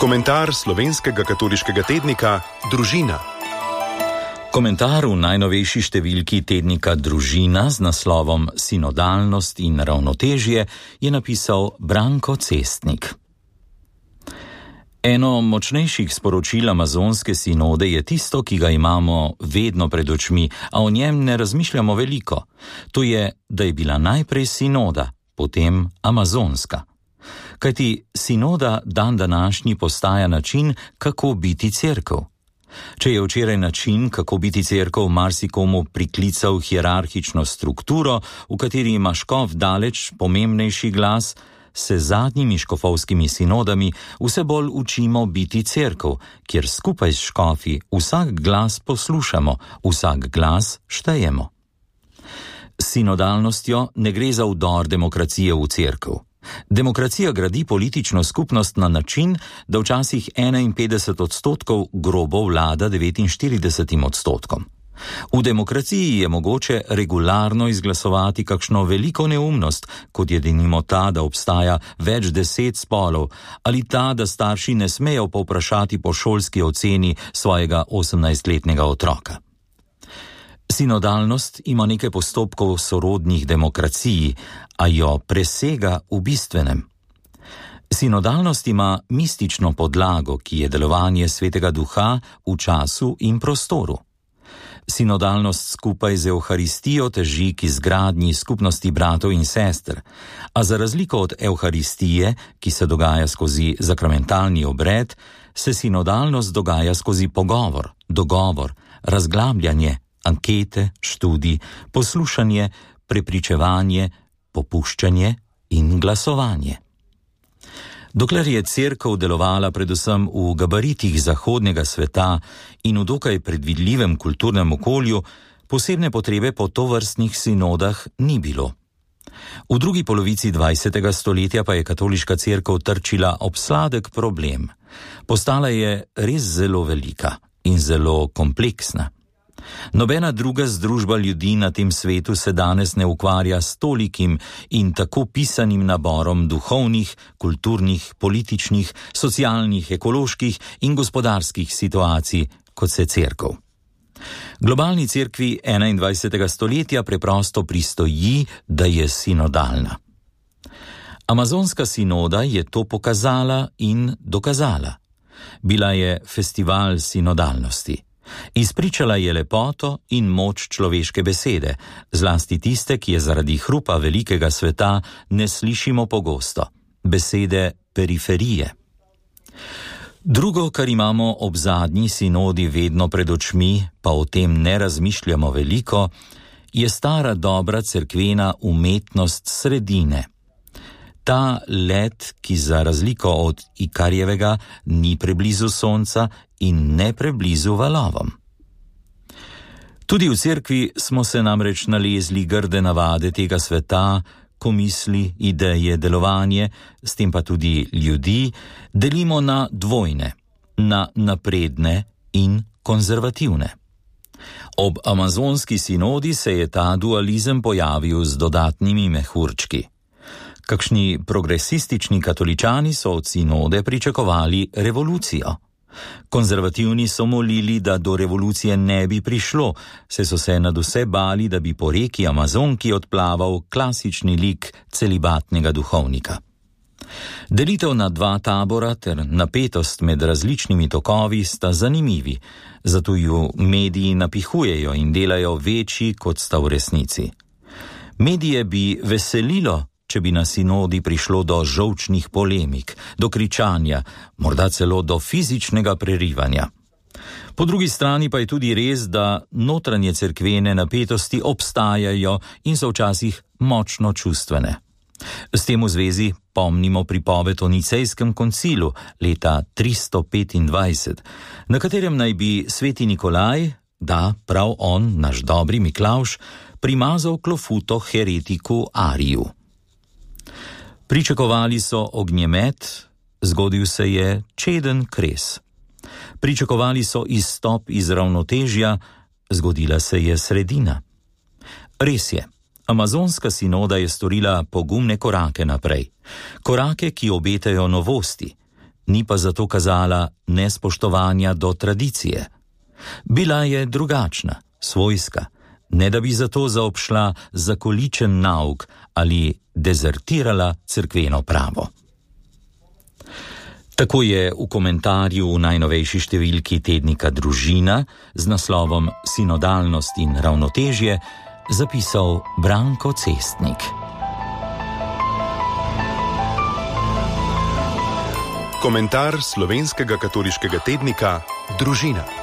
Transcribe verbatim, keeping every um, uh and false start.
Komentar slovenskega katoliškega tednika Družina. Komentar v najnovejši številki tednika Družina z naslovom Sinodalnost in ravnotežje je napisal Branko Cestnik. Eno močnejših sporočil amazonske sinode je tisto, ki ga imamo vedno pred očmi, a o njem ne razmišljamo veliko. To je, da je bila najprej sinoda, potem amazonska. Kajti sinoda dan današnji postaja način, kako biti cerkev. Če je včeraj način, kako biti cerkev, marsikomu priklical hierarhično strukturo, v kateri ima škof daleč pomembnejši glas, se zadnjimi škofovskimi sinodami vse bolj učimo biti cerkev, kjer skupaj s škofi vsak glas poslušamo, vsak glas štejemo. S sinodalnostjo ne gre za vdor demokracije v cerkev. Demokracija gradi politično skupnost na način, da včasih enainpetdeset odstotkov grobo vlada devetinštiridesetim odstotkom. V demokraciji je mogoče regularno izglasovati kakšno veliko neumnost, kot je denimo ta, da obstaja več deset spolov, ali ta, da starši ne smejo povprašati po šolski oceni svojega osemnajstletnega otroka. Sinodalnost ima nekaj postopkov sorodnih demokraciji, a jo presega v bistvenem. Sinodalnost ima mistično podlago, ki je delovanje Svetega Duha v času in prostoru. Sinodalnost skupaj z Evharistijo teži k izgradnji skupnosti bratov in sester, a za razliko od Evharistije, ki se dogaja skozi zakramentalni obred, se sinodalnost dogaja skozi pogovor, dogovor, razglabljanje, ankete, študij, poslušanje, prepričevanje, popuščanje in glasovanje. Dokler je cerkev delovala predvsem v gabaritih zahodnega sveta in v dokaj predvidljivem kulturnem okolju, posebne potrebe po tovrstnih sinodah ni bilo. V drugi polovici dvajsetega stoletja pa je katoliška cerkev trčila ob sladek problem. Postala je res zelo velika in zelo kompleksna. Nobena druga združba ljudi na tem svetu se danes ne ukvarja s tolikim in tako pisanim naborom duhovnih, kulturnih, političnih, socialnih, ekoloških in gospodarskih situacij, kot se cerkev. Globalni cerkvi enaindvajsetega stoletja preprosto pristoji, da je sinodalna. Amazonska sinoda je to pokazala in dokazala. Bila je festival sinodalnosti. Izpričala je lepoto in moč človeške besede, zlasti tiste, ki je zaradi hrupa velikega sveta ne slišimo pogosto, besede periferije. Drugo, kar imamo ob zadnji sinodi vedno pred očmi, pa o tem ne razmišljamo veliko, je stara dobra cerkvena umetnost sredine. Ta led, ki za razliko od Ikarjevega ni preblizu sonca in ne preblizu valovom. Tudi v cerkvi smo se namreč nalezli grde navade tega sveta, ko misli, ideje, delovanje, s tem pa tudi ljudi, delimo na dvojne, na napredne in konzervativne. Ob amazonski sinodi se je ta dualizem pojavil z dodatnimi mehurčki. Kakšni progresistični katoličani so od sinode pričakovali revolucijo. Konzervativni so molili, da do revolucije ne bi prišlo, saj so se nadvse bali, da bi po reki Amazonki odplaval klasični lik celibatnega duhovnika. Delitev na dva tabora ter napetost med različnimi tokovi sta zanimivi, zato ju mediji napihujejo in delajo večji, kot sta v resnici. Medije bi veselilo, če bi na sinodi prišlo do žolčnih polemik, do kričanja, morda celo do fizičnega prerivanja. Po drugi strani pa je tudi res, da notranje cerkvene napetosti obstajajo in so včasih močno čustvene. S tem v zvezi pomnimo pripoved o Nicejskem koncilu leta tristo petindvajset, na katerem naj bi sveti Nikolaj, da prav on, naš dobri Miklavž, primazal klofuto heretiku Ariju. Pričakovali so ognjemet, zgodil se je čeden kres. Pričakovali so izstop iz ravnotežja, zgodila se je sredina. Res je, amazonska sinoda je storila pogumne korake naprej. Korake, ki obetajo novosti. ni pa zato kazala nespoštovanja do tradicije. Bila je drugačna, svojska, ne da bi zato zaobšla zakoličen nauk ali dezertirala cerkveno pravo. Tako je v komentarju v najnovejši številki tednika Družina z naslovom Sinodalnost in ravnotežje zapisal Branko Cestnik. Komentar slovenskega katoliškega tednika Družina.